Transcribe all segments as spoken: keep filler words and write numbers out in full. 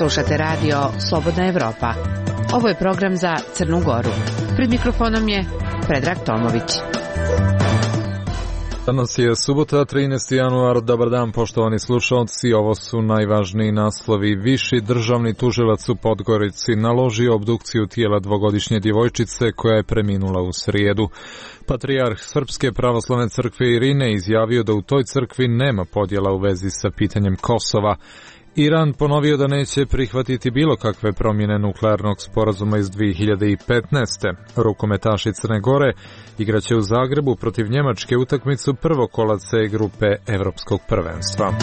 Slušate radio Slobodna Evropa. Ovo je program za Crnu Goru. Pred mikrofonom je Predrag Tomović. Danas je subota, trinaesti januar. Dobar dan, poštovani slušalci. Ovo su najvažniji naslovi. Viši državni tužilac u Podgorici naložio obdukciju tijela dvogodišnje djevojčice koja je preminula u srijedu. Patrijarh Srpske pravoslavne crkve Irinej izjavio da u toj crkvi nema podjela u vezi sa pitanjem Kosova. Iran ponovio da neće prihvatiti bilo kakve promjene nuklearnog sporazuma iz dvije hiljade petnaeste. Rukometaši Crne Gore igraće u Zagrebu protiv Njemačke utakmicu prvog kola C grupe Evropskog prvenstva.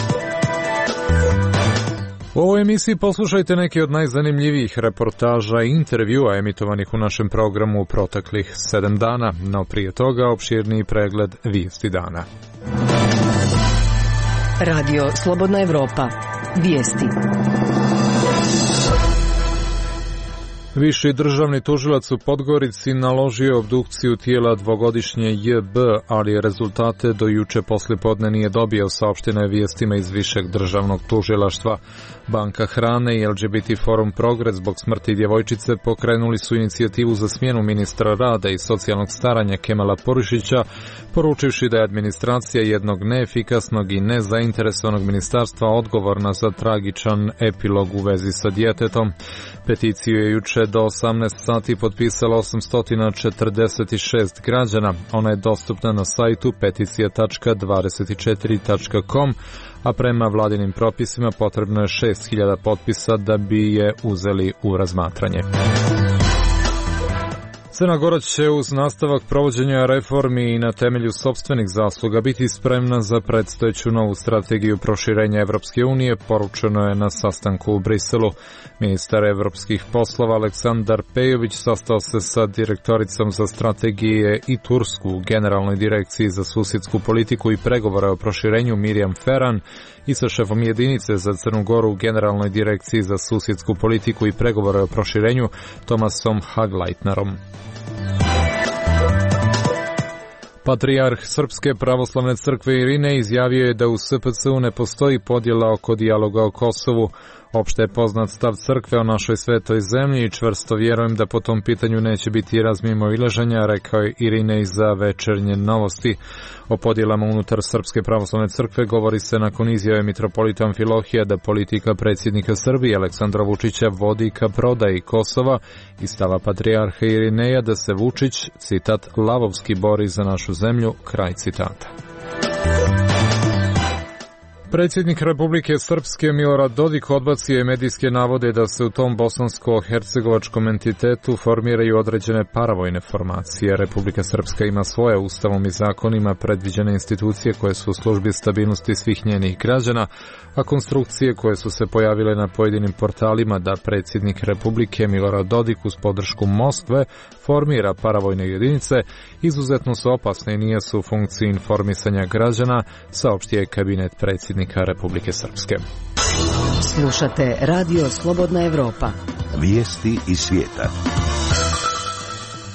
U ovoj emisiji poslušajte neke od najzanimljivijih reportaža i intervjua emitovanih u našem programu u proteklih sedam dana, no prije toga opširniji pregled vijesti dana. Radio Slobodna Evropa. Vijesti. Viši državni tužilac u Podgorici naložio obdukciju tijela dvogodišnje J B, ali rezultate do juče poslijepodne nije dobio, saopšteno je vijestima iz Višeg državnog tužilaštva. Banka hrane i L G B T Forum Progres zbog smrti djevojčice pokrenuli su inicijativu za smjenu ministra rada i socijalnog staranja Kemala Porišića, poručivši da je administracija jednog neefikasnog i nezainteresovanog ministarstva odgovorna za tragičan epilog u vezi sa djetetom. Peticiju je juče do osamnaest sati potpisalo osamsto četrdeset šest građana. Ona je dostupna na sajtu peticija tačka dvadeset četiri tačka com, a prema vladinim propisima potrebno je šest hiljada potpisa da bi je uzeli u razmatranje. Crna Gora će uz nastavak provođenja reformi i na temelju sopstvenih zasluga biti spremna za predstojeću novu strategiju proširenja Evropske unije, poručeno je na sastanku u Briselu. Ministar evropskih poslova Aleksandar Pejović sastao se sa direktoricom za strategije i Tursku u Generalnoj direkciji za susjedsku politiku i pregovore o proširenju Mirjam Ferran i sa šefom jedinice za Crnu Goru u Generalnoj direkciji za susjedsku politiku i pregovore o proširenju Tomasom Hagleitnerom. Patrijarh Srpske pravoslavne crkve Irinej izjavio je da u S P C U ne postoji podjela oko dijaloga o Kosovu. Opšte je poznat stav crkve o našoj svetoj zemlji i čvrsto vjerujem da po tom pitanju neće biti razmimoilaženja, rekao je Irinej za Večernje novosti. O podjelama unutar Srpske pravoslavne crkve govori se nakon izjave mitropolita Amfilohija da politika predsjednika Srbije Aleksandra Vučića vodi ka prodaji Kosova i stava patrijarha Irineja da se Vučić, citat, lavovski bori za našu zemlju, kraj citata. Predsjednik Republike Srpske Milorad Dodik odbacio je medijske navode da se u tom bosansko-hercegovačkom entitetu formiraju određene paravojne formacije. Republika Srpska ima svoje ustavom i zakonima predviđene institucije koje su u službi stabilnosti svih njenih građana, a konstrukcije koje su se pojavile na pojedinim portalima da predsjednik Republike Milorad Dodik uz podršku Moskve formira paravojne jedinice izuzetno su opasne i nije su u funkciji informisanja građana, saopštio je kabinet predsjednika Republike Srpske. Slušate Radio Slobodna Evropa. Vijesti iz svijeta.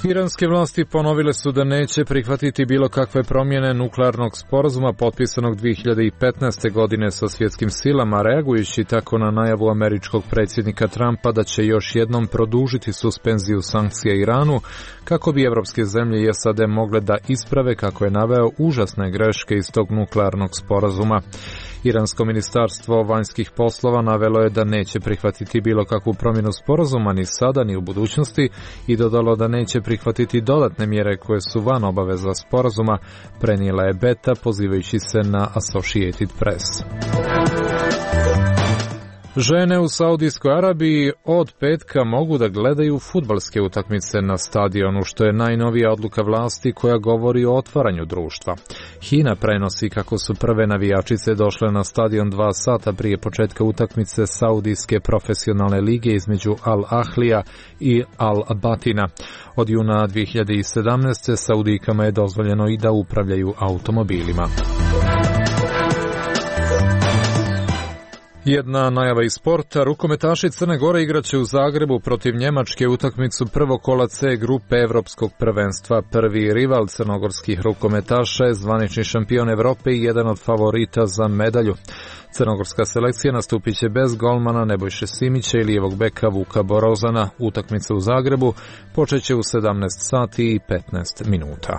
Iranske vlasti ponovile su da neće prihvatiti bilo kakve promjene nuklearnog sporazuma potpisanog dvije hiljade petnaeste. godine sa svjetskim silama, reagujući tako na najavu američkog predsjednika Trumpa da će još jednom produžiti suspenziju sankcija Iranu kako bi evropske zemlje i S A D mogle da isprave, kako je naveo, užasne greške iz tog nuklearnog sporazuma. Iransko ministarstvo vanjskih poslova navelo je da neće prihvatiti bilo kakvu promjenu sporazuma ni sada ni u budućnosti i dodalo da neće prihvatiti dodatne mjere koje su van obaveza sporazuma, prenijela je Beta pozivajući se na Associated Press. Žene u Saudijskoj Arabiji od petka mogu da gledaju fudbalske utakmice na stadionu, što je najnovija odluka vlasti koja govori o otvaranju društva. Hina prenosi kako su prve navijačice došle na stadion dva sata prije početka utakmice Saudijske profesionalne lige između Al-Ahlija i Al-Batina. Od juna dvije hiljade sedamnaeste. Saudijkama je dozvoljeno i da upravljaju automobilima. Jedna najava iz sporta, rukometaši Crne Gore igraće u Zagrebu protiv Njemačke utakmicu prvog kola C grupe Evropskog prvenstva. Prvi rival crnogorskih rukometaša je zvanični šampion Evrope i jedan od favorita za medalju. Crnogorska selekcija nastupit će bez golmana Nebojše Simića i lijevog beka Vuka Borozana. Utakmica u Zagrebu počeće u sedamnaest sati i petnaest minuta.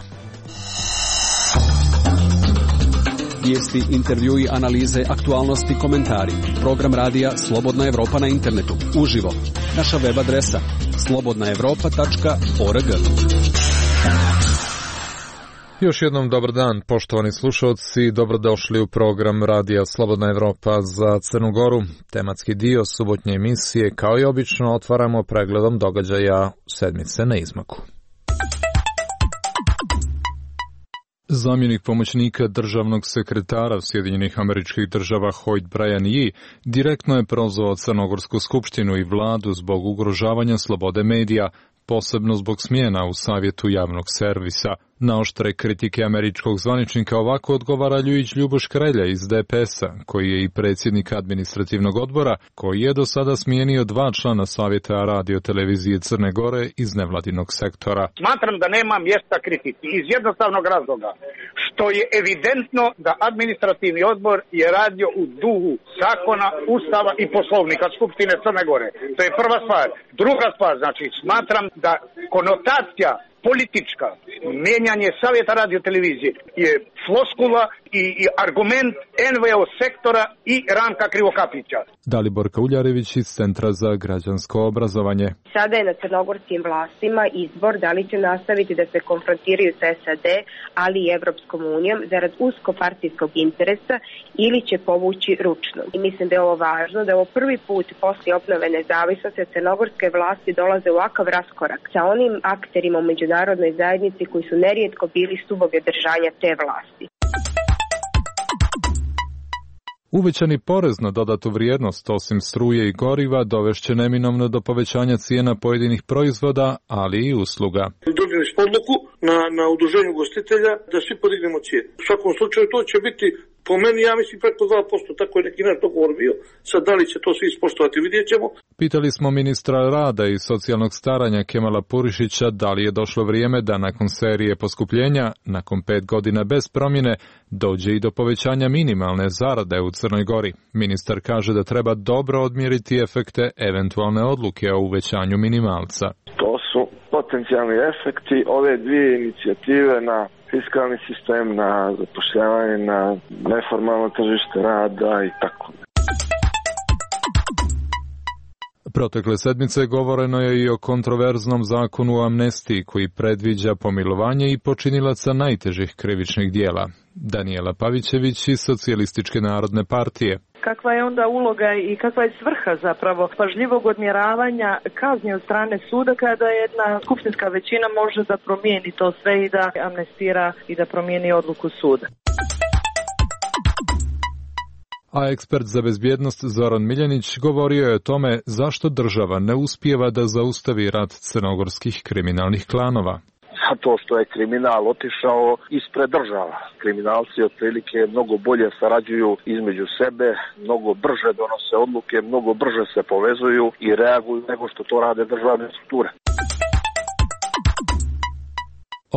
Vijesti, intervjui, analize, aktualnosti, komentari. Program radija Slobodna Evropa na internetu. Uživo. Naša web adresa slobodna evropa tačka org. Još jednom dobar dan, poštovani slušalci, dobrodošli u program radija Slobodna Evropa za Crnu Goru. Tematski dio subotnje emisije, kao i obično, otvaramo pregledom događaja sedmice na izmaku. Zamjenik pomoćnika državnog sekretara Sjedinjenih Američkih Država Hoyt Bryan Yee direktno je prozvao Crnogorsku skupštinu i vladu zbog ugrožavanja slobode medija, posebno zbog smjena u savjetu javnog servisa. Na oštre kritike američkog zvaničnika ovako odgovara Ljujić Ljuboš Krelja iz D P S-a, koji je i predsjednik administrativnog odbora, koji je do sada smijenio dva člana savjeta radio televizije Crne Gore iz nevladinog sektora. Smatram da nema mjesta kritici iz jednostavnog razloga, što je evidentno da administrativni odbor je radio u duhu zakona, ustava i poslovnika Skupštine Crne Gore. To je prva stvar. Druga stvar, znači smatram da konotacija politička, mijenjanje savjeta radio televizije je floskula i, i argument N V O sektora i Ranka Krivokapića. Dalibor Kauljarević iz Centra za građansko obrazovanje. Sada je na crnogorskim vlastima izbor da li će nastaviti da se konfrontiraju sa S A D, ali i Evropskom unijom zarad uskopartijskog interesa ili će povući ručno. I mislim da je ovo važno, da je ovo prvi put poslije obnove nezavisnosti crnogorske vlasti dolaze u ovakav raskorak sa onim akterima u međunarodnoj zajednici koji su nerijetko bili stubovi držanja te vlasti. Uvećani porez na dodatu vrijednost, osim struje i goriva, dovešće neminovno do povećanja cijena pojedinih proizvoda, ali i usluga. Dobili smo odluku na, na udruženju ugostitelja da svi podignemo cijene. U svakom slučaju to će biti, po meni, ja mislim, preko dva posto, tako je neki naš dogovor bio. Sad da li će to svi ispoštovati, vidjet ćemo. Pitali smo ministra rada i socijalnog staranja Kemala Purišića da li je došlo vrijeme da nakon serije poskupljenja, nakon pet godina bez promjene, dođe i do povećanja minimalne zarade u Crnoj Gori. Ministar kaže da treba dobro odmjeriti efekte eventualne odluke o uvećanju minimalca. To su potencijalni efekti ove dvije inicijative na fiskalni sistem, na zapošljavanje, na neformalno tržište rada i tako. Protekle sedmice govoreno je i o kontroverznom zakonu o amnestiji koji predviđa pomilovanje i počinilaca najtežih krivičnih dijela. Daniela Pavićević iz Socijalističke narodne partije. Kakva je onda uloga i kakva je svrha zapravo pažljivog odmjeravanja kazni od strane suda kada jedna skupštinska većina može da promijeni to sve i da amnestira i da promijeni odluku suda. A ekspert za bezbjednost Zoran Miljanić govorio je o tome zašto država ne uspijeva da zaustavi rat crnogorskih kriminalnih klanova. Zato što je kriminal otišao ispred država. Kriminalci otprilike mnogo bolje sarađuju između sebe, mnogo brže donose odluke, mnogo brže se povezuju i reaguju nego što to rade državne strukture.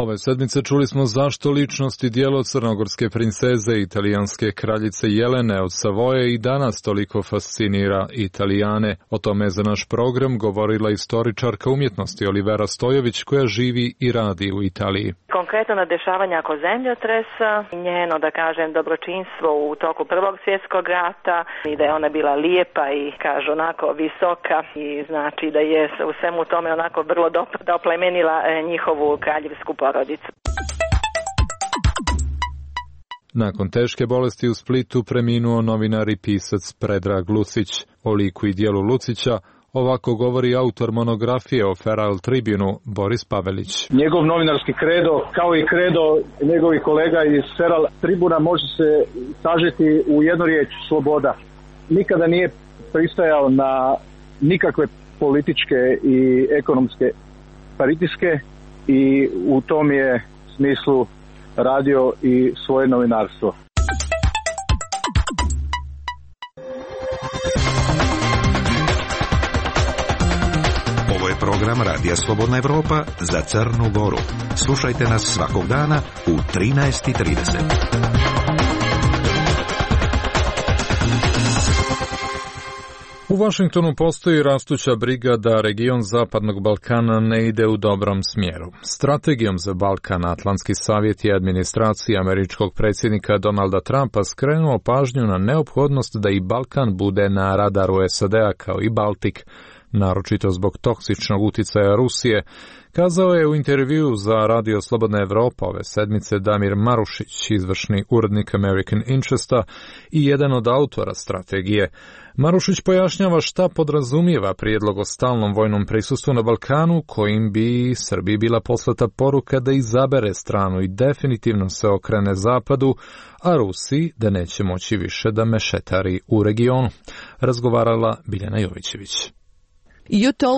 Ove sedmice čuli smo zašto ličnost i djelo crnogorske princeze i italijanske kraljice Jelene od Savoje i danas toliko fascinira Italijane. O tome je za naš program govorila istoričarka umjetnosti Olivera Stojović koja živi i radi u Italiji. Konkretno na dešavanja oko zemljotresa, njeno, da kažem, dobročinstvo u toku Prvog svjetskog rata i da je ona bila lijepa i, kažu, onako visoka i znači da je u svemu tome onako vrlo doplemenila njihovu kraljevsku porodicu. Nakon teške bolesti u Splitu preminuo novinar i pisac Predrag Lucić. O liku i dijelu Lucića ovako govori autor monografije o Feral Tribunu Boris Pavelić. Njegov novinarski kredo, kao i kredo njegovih kolega iz Feral Tribuna, može se sažeti u jednu riječ: sloboda. Nikada nije pristajao na nikakve političke i ekonomske pritiske i u tom je smislu radio i svoje novinarstvo. program Radija Slobodna Evropa za Crnu Goru. Slušajte nas svakog dana u trinaest i trideset. U Vašingtonu postoji rastuća briga da region Zapadnog Balkana ne ide u dobrom smjeru. Strategijom za Balkan Atlantski savjet i administracija američkog predsjednika Donalda Trumpa skrenuo pažnju na neophodnost da i Balkan bude na radaru S A D-a kao i Baltik, naročito zbog toksičnog uticaja Rusije, kazao je u intervjuu za Radio Slobodna Evropa ove sedmice Damir Marušić, izvršni urednik American Interesta i jedan od autora strategije. Marušić pojašnjava šta podrazumijeva prijedlog o stalnom vojnom prisustvu na Balkanu, kojim bi Srbiji bila poslata poruka da izabere stranu i definitivno se okrene zapadu, a Rusiji da neće moći više da mešetari u regionu. Razgovarala Biljana Jovićević.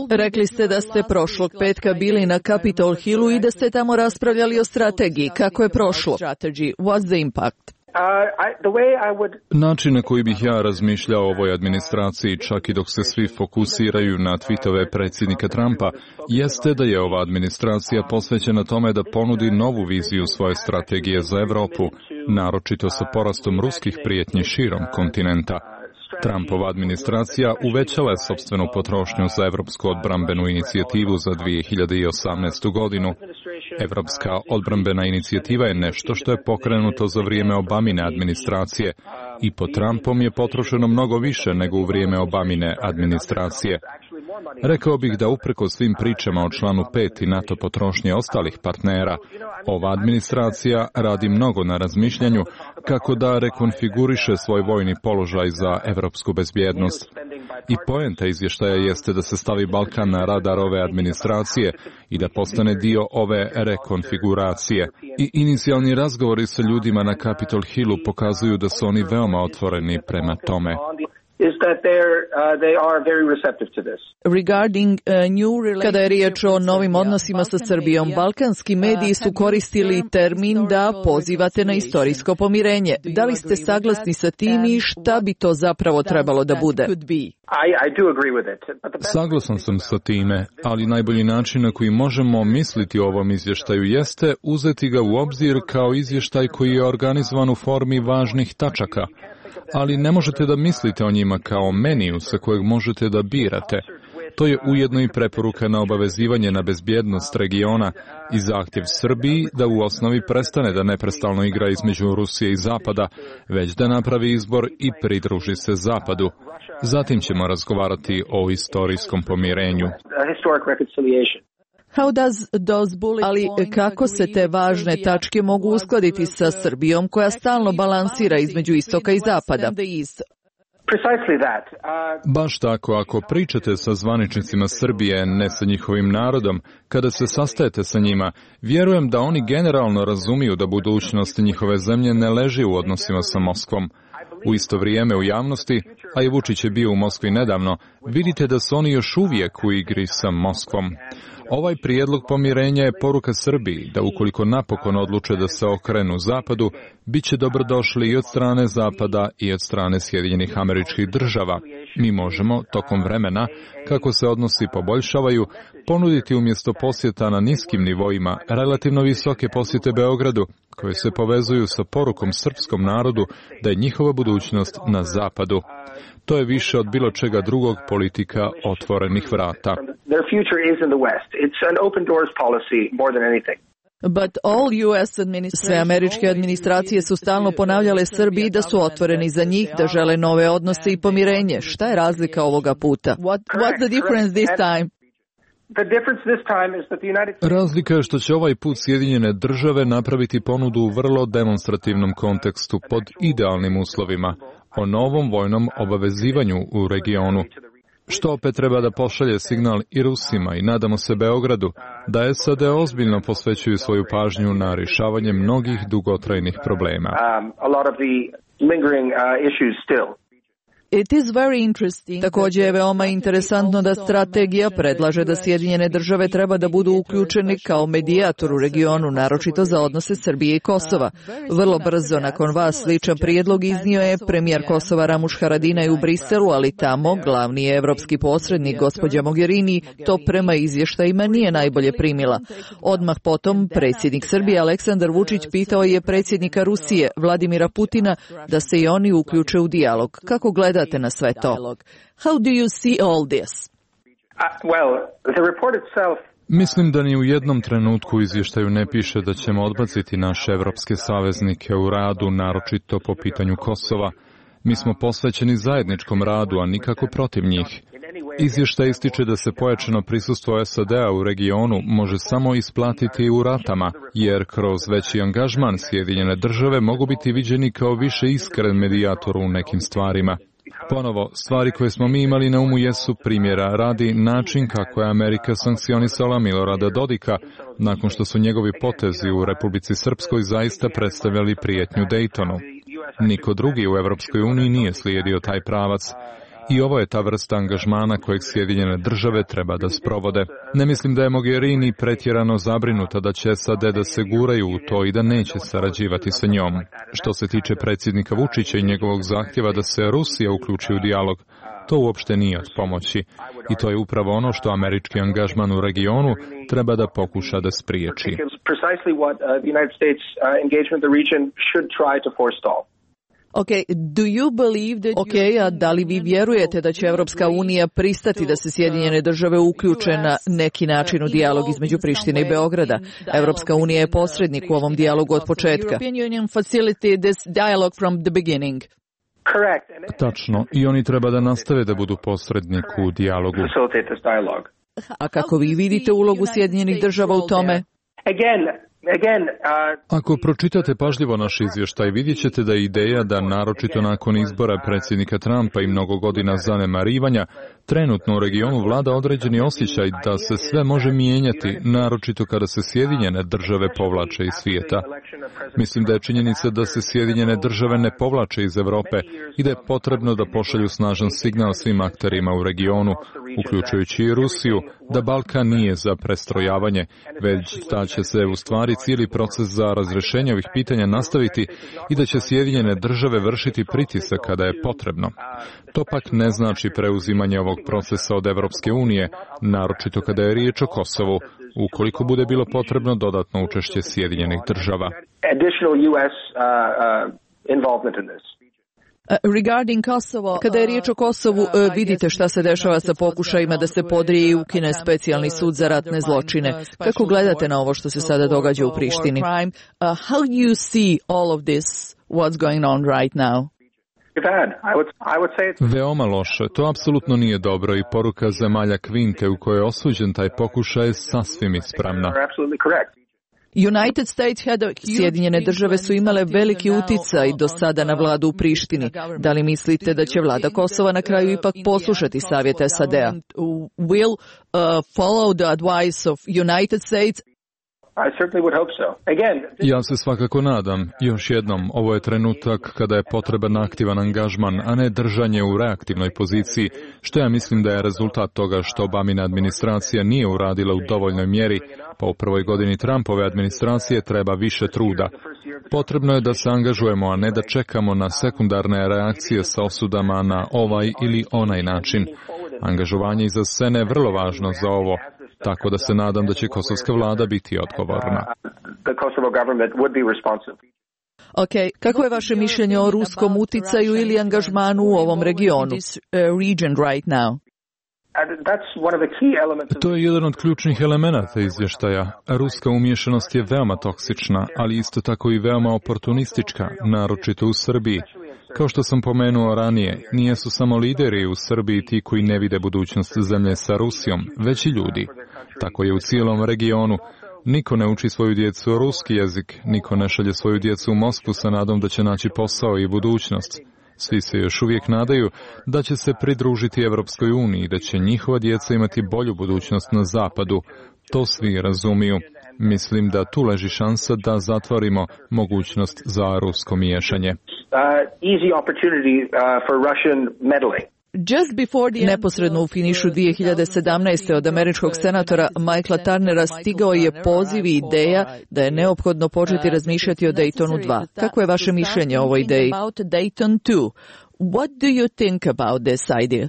Rekli ste da ste prošlog petka bili na Capitol Hillu i da ste tamo raspravljali o strategiji. Kako je prošlo? What's the impact? Način na koji bih ja razmišljao o ovoj administraciji, čak i dok se svi fokusiraju na tweetove predsjednika Trumpa, jeste da je ova administracija posvećena tome da ponudi novu viziju svoje strategije za Evropu, naročito sa porastom ruskih prijetnji širom kontinenta. Trumpova administracija uvećala je sopstvenu potrošnju za Evropsku odbrambenu inicijativu za dvije hiljade osamnaestu godinu. Evropska odbrambena inicijativa je nešto što je pokrenuto za vrijeme Obamine administracije i pod Trumpom je potrošeno mnogo više nego u vrijeme Obamine administracije. Rekao bih da upreko svim pričama o članu pet i NATO potrošnje ostalih partnera, ova administracija radi mnogo na razmišljanju kako da rekonfiguriše svoj vojni položaj za evropsku bezbjednost. I poenta izvještaja jeste da se stavi Balkan na radar ove administracije i da postane dio ove rekonfiguracije. I inicijalni razgovori sa ljudima na Capitol Hillu pokazuju da su oni veoma otvoreni prema tome. Kada je riječ o novim odnosima sa Srbijom, balkanski mediji su koristili termin da pozivate na istorijsko pomirenje. Da li ste saglasni sa tim i šta bi to zapravo trebalo da bude? Saglasan sam sa time, ali najbolji način na koji možemo misliti o ovom izvještaju jeste uzeti ga u obzir kao izvještaj koji je organizovan u formi važnih tačaka. Ali ne možete da mislite o njima kao meniju sa kojeg možete da birate. To je ujedno i preporuka na obavezivanje na bezbjednost regiona i zahtjev Srbiji da u osnovi prestane da neprestalno igra između Rusije i Zapada, već da napravi izbor i pridruži se Zapadu. Zatim ćemo razgovarati o istorijskom pomirenju. Ali kako se te važne tačke mogu uskladiti sa Srbijom koja stalno balansira između istoka i zapada? Baš tako, ako pričate sa zvaničnicima Srbije, ne sa njihovim narodom, kada se sastajete sa njima, vjerujem da oni generalno razumiju da budućnost njihove zemlje ne leži u odnosima sa Moskvom. U isto vrijeme u javnosti, a i Vučić je bio u Moskvi nedavno, vidite da su oni još uvijek u igri sa Moskvom. Ovaj prijedlog pomirenja je poruka Srbiji da ukoliko napokon odluče da se okrenu Zapadu, bit će dobrodošli i od strane Zapada i od strane Sjedinjenih Američkih Država. Mi možemo, tokom vremena, kako se odnosi poboljšavaju, ponuditi umjesto posjeta na niskim nivoima relativno visoke posjete Beogradu, koje se povezuju sa porukom srpskom narodu da je njihova budućnost na Zapadu. To je više od bilo čega drugog politika otvorenih vrata. Sve američke administracije su stalno ponavljale Srbiji da su otvoreni za njih, da žele nove odnose i pomirenje. Šta je razlika ovoga puta? What's the difference this time? Razlika je što će ovaj put Sjedinjene Države napraviti ponudu u vrlo demonstrativnom kontekstu pod idealnim uslovima o novom vojnom obavezivanju u regionu, što opet treba da pošalje signal i Rusima i nadamo se Beogradu da S A D ozbiljno posvećuju svoju pažnju na rješavanje mnogih dugotrajnih problema. Također je veoma interesantno da strategija predlaže da Sjedinjene države treba da budu uključeni kao medijator u regionu, naročito za odnose Srbije i Kosova. Vrlo brzo nakon vas sličan prijedlog iznio je premijer Kosova Ramuš Haradinaj u Briselu, ali tamo glavni je evropski posrednik gospođa Mogherini to prema izvještajima nije najbolje primila. Odmah potom predsjednik Srbije Aleksandar Vučić pitao je predsjednika Rusije Vladimira Putina da se i oni uključe u dijalog. Kako gledate na sve to? How do you see all this? Mislim da ni u jednom trenutku u izvještaju ne piše da ćemo odbaciti naše evropske saveznike u radu, naročito po pitanju Kosova. Mi smo posvećeni zajedničkom radu, a nikako protiv njih. Izvještaj ističe da se pojačano prisustvo S A D-a u regionu može samo isplatiti u ratama, jer kroz veći angažman Sjedinjene države mogu biti viđeni kao više iskren medijator u nekim stvarima. Ponovo, stvari koje smo mi imali na umu jesu primjera radi način kako je Amerika sankcionisala Milorada Dodika, nakon što su njegovi potezi u Republici Srpskoj zaista predstavljali prijetnju Daytonu. Niko drugi u Evropskoj uniji nije slijedio taj pravac. I ovo je ta vrsta angažmana kojeg Sjedinjene države treba da sprovode. Ne mislim da je Mogherini pretjerano zabrinuta da će S A D da se guraju u to i da neće sarađivati sa njom. Što se tiče predsjednika Vučića i njegovog zahtjeva da se Rusija uključi u dijalog, to uopšte nije od pomoći. I to je upravo ono što američki angažman u regionu treba da pokuša da spriječi. Okay, do you believe that ok, a da li vi vjerujete da će Evropska unija pristati da se Sjedinjene države uključe na neki način u dijalog između Prištine i Beograda? Evropska unija je posrednik u ovom dijalogu od početka. Tačno, i oni treba da nastave da budu posrednik u dijalogu. A kako vi vidite ulogu Sjedinjenih država u tome? Ako pročitate pažljivo naš izvještaj, vidjet ćete da je ideja da, naročito nakon izbora predsjednika Trumpa i mnogo godina zanemarivanja, trenutno u regionu vlada određeni osjećaj da se sve može mijenjati, naročito kada se Sjedinjene države povlače iz svijeta. Mislim da je činjenica da se Sjedinjene države ne povlače iz Europe i da je potrebno da pošalju snažan signal svim akterima u regionu, uključujući i Rusiju, da Balkan nije za prestrojavanje, već da će se u stvari cijeli proces za razrješenje ovih pitanja nastaviti i da će Sjedinjene države vršiti pritisak kada je potrebno. To pak ne znači preuzimanje ovog procesa od Evropske unije, naročito kada je riječ o Kosovu, ukoliko bude bilo potrebno dodatno učešće Sjedinjenih država. Regarding Kosovo, kada je riječ o Kosovu, vidite šta se dešava sa pokušajima da se podrije i ukine specijalni sud za ratne zločine. Kako gledate na ovo što se sada događa u Prištini? How do you see all of this, what's going on right now? Veoma loše. To apsolutno nije dobro i poruka zemalja Kvinte u kojoj je osuđen taj pokušaj je sasvim ispravna. United States had a... Sjedinjene države su imale veliki uticaj do sada na vladu u Prištini. Da li mislite da će vlada Kosova na kraju ipak poslušati savjete S A D-a? Will uh, follow the advice of United States? Ja se svakako nadam. Još jednom, ovo je trenutak kada je potreban aktivan angažman, a ne držanje u reaktivnoj poziciji, što ja mislim da je rezultat toga što Obamina administracija nije uradila u dovoljnoj mjeri, pa u prvoj godini Trumpove administracije treba više truda. Potrebno je da se angažujemo, a ne da čekamo na sekundarne reakcije sa osudama na ovaj ili onaj način. Angažovanje iza scene je vrlo važno za ovo. Tako da se nadam da će kosovska vlada biti odgovorna. Ok, kako je vaše mišljenje o ruskom uticaju ili angažmanu u ovom regionu? Region right now. To je jedan od ključnih elemenata izvještaja. Ruska umješanost je veoma toksična, ali isto tako i veoma oportunistička, naročito u Srbiji. Kao što sam pomenuo ranije, nijesu samo lideri u Srbiji ti koji ne vide budućnost zemlje sa Rusijom, već i ljudi. Tako je u cijelom regionu. Niko ne uči svoju djecu ruski jezik, niko ne šalje svoju djecu u Moskvu sa nadom da će naći posao i budućnost. Svi se još uvijek nadaju da će se pridružiti Evropskoj uniji i da će njihova djeca imati bolju budućnost na zapadu. To svi razumiju. Mislim da tu leži šansa da zatvorimo mogućnost za rusko miješanje. easy opportunity uh, for Russian meddling. Neposredno u finišu dvije hiljade sedamnaeste. od američkog senatora Michaela Turnera stigao je poziv i ideja da je neophodno početi razmišljati o Daytonu dva. Kako je vaše mišljenje o ovoj ideji? What do you think about this idea?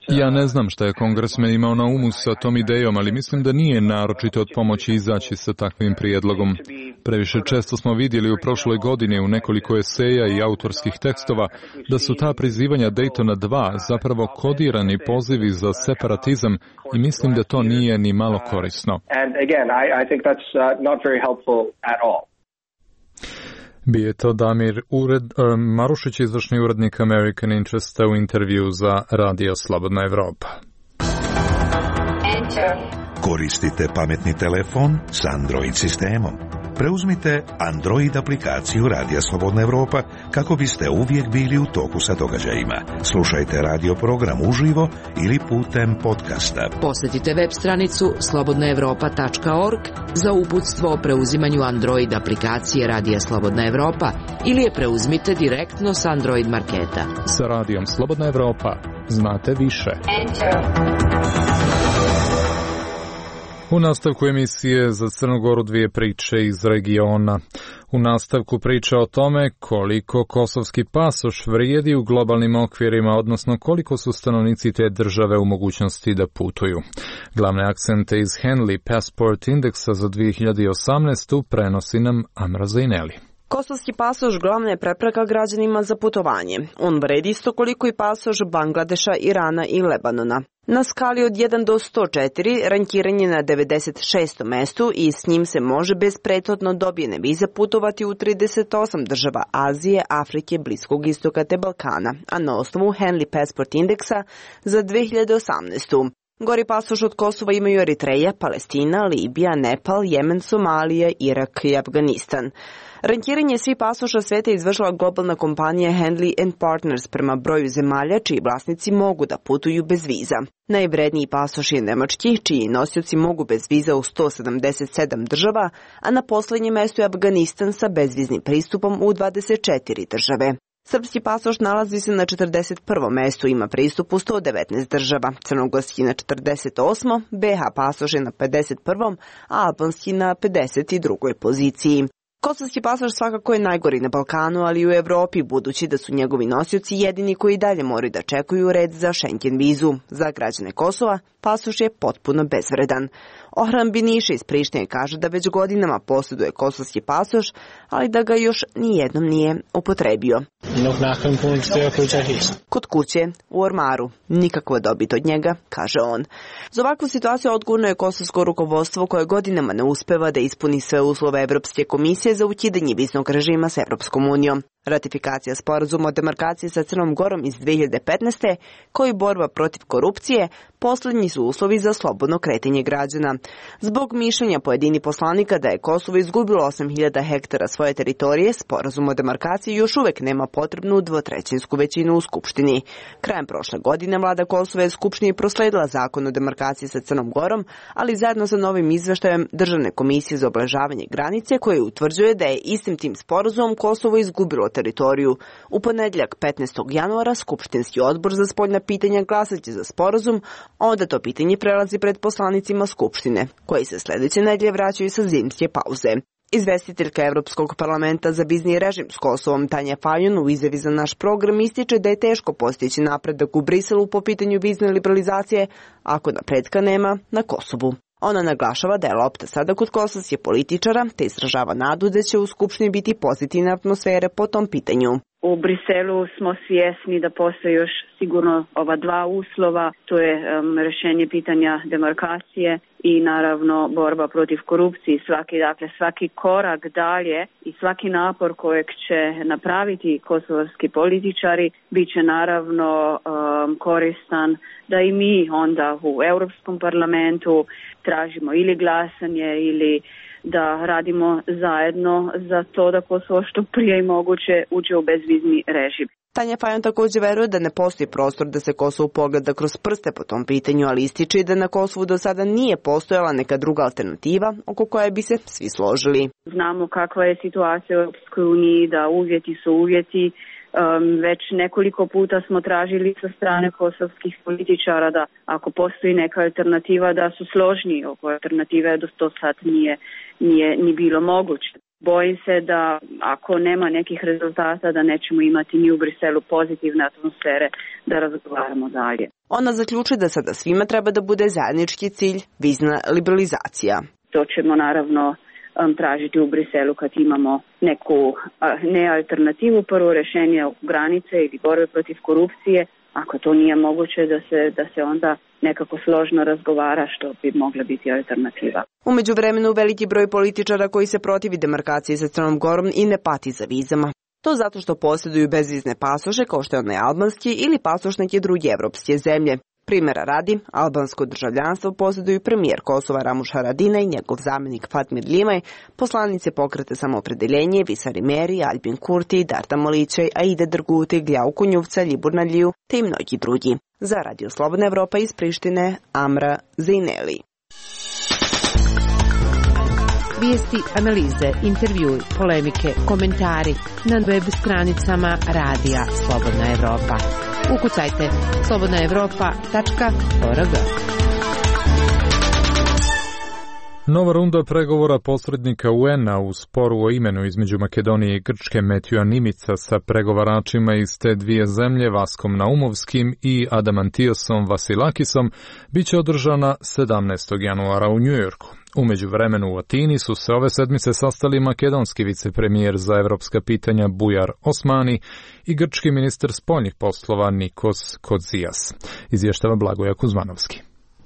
Ja ne znam šta je kongresmen imao na umu sa tom idejom, ali mislim da nije naročito od pomoći izaći sa takvim prijedlogom. Previše često smo vidjeli u prošloj godini u nekoliko eseja i autorskih tekstova da su ta prizivanja Daytona dva zapravo kodirani pozivi za separatizam i mislim da to nije ni malo korisno. Bio je to Damir Ured, uh, Marušić, izvršni urednik American Interesta u intervju za Radio Slobodna Evropa. Koristite pametni telefon s Android sistemom. Preuzmite Android aplikaciju Radija Slobodna Evropa kako biste uvijek bili u toku sa događajima. Slušajte radio program uživo ili putem podcasta. Posjetite web stranicu slobodna evropa tačka org za uputstvo o preuzimanju Android aplikacije Radija Slobodna Evropa ili je preuzmite direktno s Android marketa. Sa Radijom Slobodna Evropa znate više. Enter. U nastavku emisije za Crnu Goru dvije priče iz regiona. U nastavku priča o tome koliko kosovski pasoš vrijedi u globalnim okvirima, odnosno koliko su stanovnici te države u mogućnosti da putuju. Glavne akcente iz Henley Passport Indeksa za dvije hiljade osamnaestu prenosi nam Amra Zaineli. Kosovski pasoš glavna je prepreka građanima za putovanje. On vredi isto koliko i pasoš Bangladeša, Irana i Lebanona. Na skali od jedan do sto četiri rankiran je na devedeset šestom mestu i s njim se može bez prethodno dobijene vize putovati u trideset osam država Azije, Afrike, Bliskog istoka te Balkana, a na osnovu Henley Passport Indeksa za dvije hiljade osamnaestu. Gori pasoš od Kosova imaju Eritreja, Palestina, Libija, Nepal, Jemen, Somalija, Irak i Afganistan. Rankiranje svih pasoša sveta izvršila globalna kompanija Henley and Partners prema broju zemalja čiji vlasnici mogu da putuju bez viza. Najvredniji pasoš je nemački, čiji nosioci mogu bez viza u sto sedamdeset sedam država, a na posljednjem mjestu je Afganistan sa bezviznim pristupom u dvadeset četiri države. Srpski pasoš nalazi se na četrdeset prvom mestu, ima pristup u sto devetnaest država, crnogorski na četrdeset osmom, be ha pasoš je na pedeset prvom, a albanski na pedeset drugoj poziciji. Kosovski pasoš svakako je najgori na Balkanu, ali i u Evropi, budući da su njegovi nosioci jedini koji dalje moraju da čekuju red za Schengen vizu. Za građane Kosova pasoš je potpuno bezvredan. Ohran Biniša iz Prištine kaže da već godinama posjeduje kosovski pasoš, ali da ga još nijednom nije upotrebio. Kod kuće, u ormaru, nikakva dobit od njega, kaže on. Za ovakvu situaciju odgovorno je kosovsko rukovodstvo koje godinama ne uspeva da ispuni sve uslove Evropske komisije za ukidanje viznog režima s Evropskom unijom. Ratifikacija sporazuma o demarkaciji sa Crnom Gorom iz dvije hiljade petnaeste, koji borba protiv korupcije, posljednji su uslovi za slobodno kretanje građana. Zbog mišljenja pojedini poslanika da je Kosovo izgubilo osam hiljada hektara svoje teritorije, sporazum o demarkaciji još uvek nema potrebnu dvotrećinsku većinu u Skupštini. Krajem prošle godine vlada Kosova je Skupštini prosledila zakon o demarkaciji sa Crnom Gorom, ali zajedno sa novim izveštajem Državne komisije za obeležavanje granice, koje utvrđuje da je istim tim sporazumom Kosovo izgubilo teritoriju. U ponedjeljak petnaestog januara Skupštinski odbor za spoljna pitanja glasaće za sporazum, onda to pitanje prelazi pred poslanicima Skupštine, koji se sljedeće nedelje vraćaju sa zimske pauze. Izvestiteljka Evropskog parlamenta za vizni režim s Kosovom Tanja Fajon u izjavi za naš program ističe da je teško postići napredak u Briselu po pitanju vizne liberalizacije ako napretka nema na Kosovu. Ona naglašava da je lopta sada kod kosovskih političara, te izražava nadu da će u Skupštini biti pozitivne atmosfere po tom pitanju. U Briselu smo svjesni da postoje još sigurno ova dva uslova, to je um, rješenje pitanja demarkacije i naravno borba protiv korupcije. Svaki, dakle, svaki korak dalje i svaki napor kojeg će napraviti kosovski političari bit će naravno um, koristan da i mi onda u Europskom parlamentu tražimo ili glasanje ili da radimo zajedno za to da Kosovo što prije i moguće uđe u bezvizni režim. Tanja Fajon također veruje da ne postoji prostor da se Kosovo pogleda kroz prste po tom pitanju, ali ističe da na Kosovu do sada nije postojala neka druga alternativa oko koje bi se svi složili. Znamo kakva je situacija u Europskoj uniji, da uvjeti su uvjeti. Um, već nekoliko puta smo tražili sa strane kosovskih političara da ako postoji neka alternativa da su složniji oko alternative, do to sad nije, nije ni bilo moguće. Bojim se da ako nema nekih rezultata da nećemo imati ni u Briselu pozitivne atmosfere da razgovaramo dalje. Ona zaključuje da sada svima treba da bude zajednički cilj vizna liberalizacija. To ćemo naravno tražiti u Briselu kad imamo neku ne alternativu, prvo rješenje granice ili borbe protiv korupcije. Ako to nije moguće da se, da se onda nekako složno razgovara što bi mogla biti alternativa. U međuvremenu veliki broj političara koji se protivi demarkaciji sa Crnom Gorom i ne pati za vizama. To zato što posjeduju bezvizne pasoše kao što je onaj albanski ili pasoš neke druge evropske zemlje. Primjera radi, albansko državljanstvo posjeduju premijer Kosova Ramuš Haradinaj, njegov zamjenik Fatmir Limaj, poslanice Pokreta Samoopredeljenje, Visari Meri, Albin Kurti, Darta Molićaj, Aida Drguti, Gljav Kunjuvca, Libur Nadliju, te i mnogi drugi. Za Radio Slobodna Evropa iz Prištine, Amra Zejneli. Vijesti, analize, intervjui, polemike, komentari na web stranicama Radija Slobodna Evropa. Ukucajte slobodna evropa tačka org. Nova runda pregovora posrednika U N-a u sporu o imenu između Makedonije i Grčke Metjuja Nimica sa pregovaračima iz te dvije zemlje Vaskom Naumovskim i Adamantijosom Vasilakisom biće održana sedamnaestog januara u Njujorku. U međuvremenu u Atini su se ove sedmice sastali makedonski vicepremijer za evropska pitanja Bujar Osmani i grčki ministar spoljnih poslova Nikos Kodzijas. Izvještava Blagoja Kuzmanovski.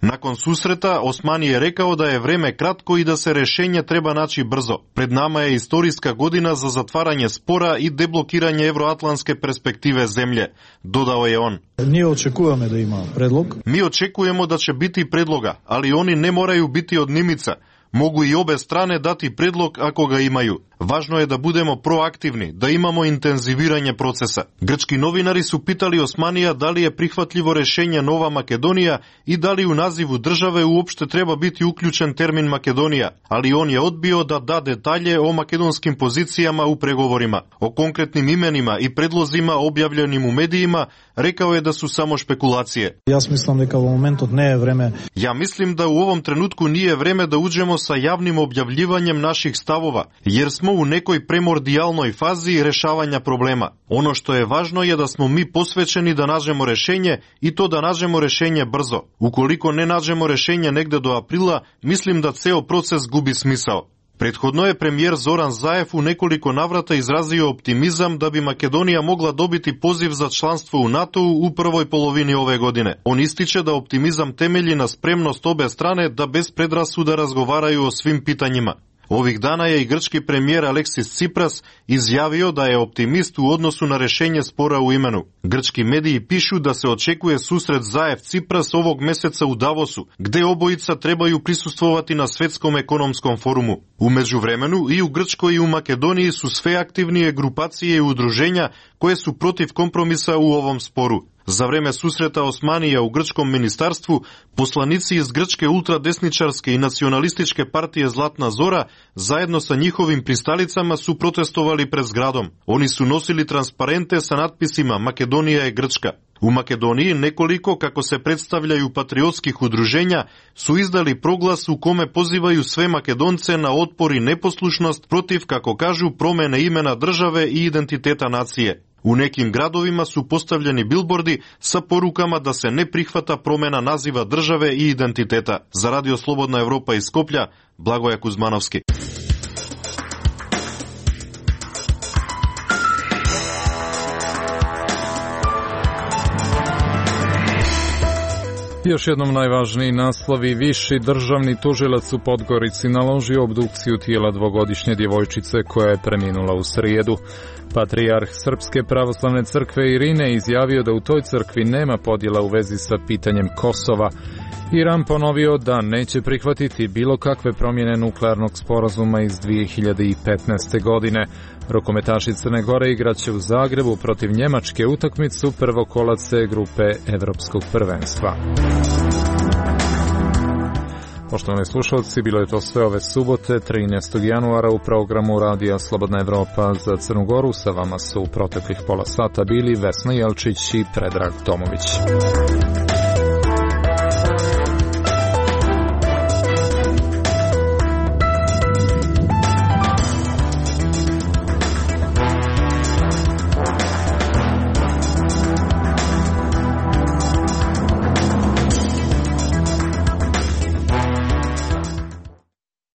Nakon susreta, Osmani je rekao da je vreme kratko i da se rešenje treba naći brzo. Pred nama je istorijska godina za zatvaranje spora i deblokiranje evroatlantske perspektive zemlje, dodao je on. Mi očekujemo da ima predlog. Mi očekujemo da će biti predloga, ali oni ne moraju biti od Nimica. Mogu i obe strane dati predlog ako ga imaju. Važno je da budemo proaktivni, da imamo intenziviranje procesa. Grčki novinari su pitali Osmanija da li je prihvatljivo rešenje Nova Makedonija i da li u nazivu države uopšte treba biti uključen termin Makedonija, ali on je odbio da da detalje o makedonskim pozicijama u pregovorima. O konkretnim imenima i predlozima objavljenim u medijima rekao je da su samo špekulacije. Ja mislim da u momentu ne je vreme. Ja mislim da u ovom trenutku nije vreme da uđemo sa javnim objavljivanjem naših stavova, jer smo u nekoj primordijalnoj fazi rešavanja problema. Ono što je važno je da smo mi posvećeni da nađemo rešenje i to da nađemo rešenje brzo. Ukoliko ne nađemo rešenje negde do aprila, mislim da ceo proces gubi smisao. Prethodno je premijer Zoran Zaev u nekoliko navrata izrazio optimizam da bi Makedonija mogla dobiti poziv za članstvo u NATO-u u prvoj polovini ove godine. On ističe da optimizam temelji na spremnost obe strane da bez predrasuda razgovaraju o svim pitanjima. Ovih dana je i grčki premijer Aleksis Tsipras izjavio da je optimist u odnosu na rešenje spora u imenu. Grčki mediji pišu da se očekuje susret Zaev-Tsipras ovog meseca u Davosu, gde obojica trebaju prisustvovati na svetskom ekonomskom forumu. U međuvremenu i u Grčkoj i u Makedoniji su sve aktivnije grupacije i udruženja koje su protiv kompromisa u ovom sporu. Za vreme susreta Osmanija u grčkom ministarstvu, poslanici iz grčke ultradesničarske i nacionalističke partije Zlatna Zora zajedno sa njihovim pristalicama su protestovali pred zgradom. Oni su nosili transparente sa natpisima Makedonija je Grčka. U Makedoniji nekoliko, kako se predstavljaju, patriotskih udruženja su izdali proglas u kome pozivaju sve Makedonce na otpor i neposlušnost protiv, kako kažu, promene imena države i identiteta nacije. U nekim gradovima su postavljeni bilbordi sa porukama da se ne prihvata promena naziva države i identiteta. Za Radio Slobodna Evropa iz Skoplja, Blagoja Kuzmanovski. Još jednom najvažniji naslovi. Viši državni tužilac u Podgorici naložio obdukciju tijela dvogodišnje djevojčice koja je preminula u srijedu. Patrijarh Srpske pravoslavne crkve Irine izjavio da u toj crkvi nema podjela u vezi sa pitanjem Kosova. Iran ponovio da neće prihvatiti bilo kakve promjene nuklearnog sporazuma iz dvije hiljade petnaeste. godine. Rukometaši Crne Gore igraće u Zagrebu protiv Njemačke utakmicu prvokolace grupe Evropskog prvenstva. Poštovani slušalci, bilo je to sve ove subote, trinaestog januara u programu Radija Slobodna Evropa za Crnu Goru. Sa vama su u proteklih pola sata bili Vesna Jelčić i Predrag Tomović.